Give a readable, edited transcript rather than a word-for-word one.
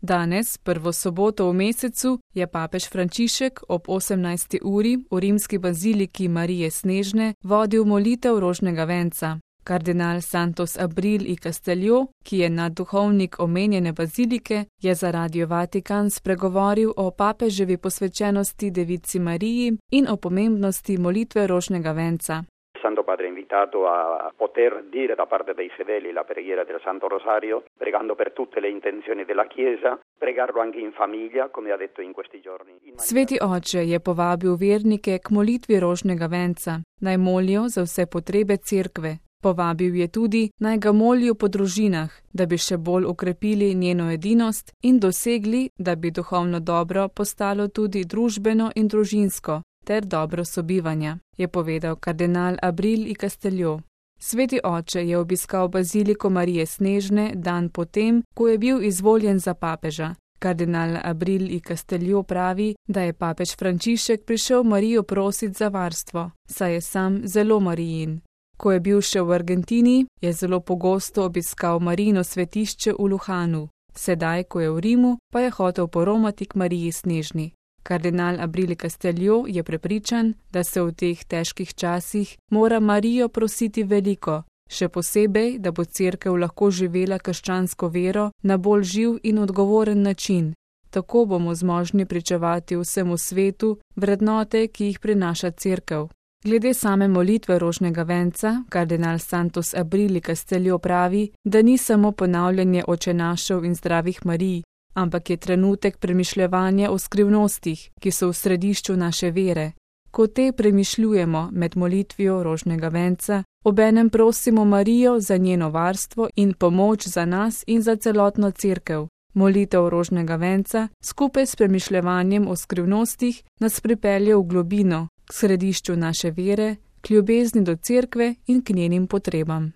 Danes, prvo soboto v mesecu, je papež Frančišek ob 18. uri v rimski baziliki Marije Snežne vodil molitev rožnega venca. Kardinal Santos Abril y Castelio, ki je nadduhovnik omenjene bazilike, je za Radio Vatikan spregovoril o papeževi posvečenosti Devici Mariji in o pomembnosti molitve rožnega venca. Santo Padre invitato a poter dire da parte dei fedeli la preghiera del Santo Rosario, pregando per tutte le intenzioni della Chiesa, pregarlo anche in famiglia, come ha detto in questi giorni. Sveti oče je povabil vernike k molitvi rožnega venca, naj molijo za vse potrebe cerkve. Povabil je tudi, naj ga molijo po družinah, da bi še bolj okrepili njeno edinost in dosegli, da bi duhovno dobro postalo tudi družbeno in družinsko, ter dobro sobivanja, je povedal kardinal Abril y Castelio. Sveti oče je obiskal baziliko Marije Snežne dan potem, ko je bil izvoljen za papeža. Kardinal Abril y Castelio pravi, da je papež Frančišek prišel Marijo prositi za varstvo, saj je sam zelo Marijin. Ko je bil še v Argentini, je zelo pogosto obiskal Marijino svetišče v Luhanu. Sedaj, ko je v Rimu, pa je hotel poromati k Mariji Snežni. Kardinal Abril y Castelio je prepričan, da se v teh težkih časih mora Marijo prositi veliko, še posebej, da bo cerkev lahko živela krščansko vero na bolj živ in odgovoren način. Tako bomo zmožni pričevati vsemu svetu vrednote, ki jih prinaša cerkev. Glede same molitve rožnega venca, kardinal Santos Abril y Castelio pravi, da ni samo ponavljanje očenašev in zdravih Marij, ampak je trenutek premišljevanja o skrivnostih, ki so v središču naše vere. Ko te premišljujemo med molitvijo rožnega venca, obenem prosimo Marijo za njeno varstvo in pomoč za nas in za celotno cerkev. Molitev rožnega venca skupaj s premišljevanjem o skrivnostih nas pripelje v globino, k središču naše vere, k ljubezni do cerkve in k njenim potrebam.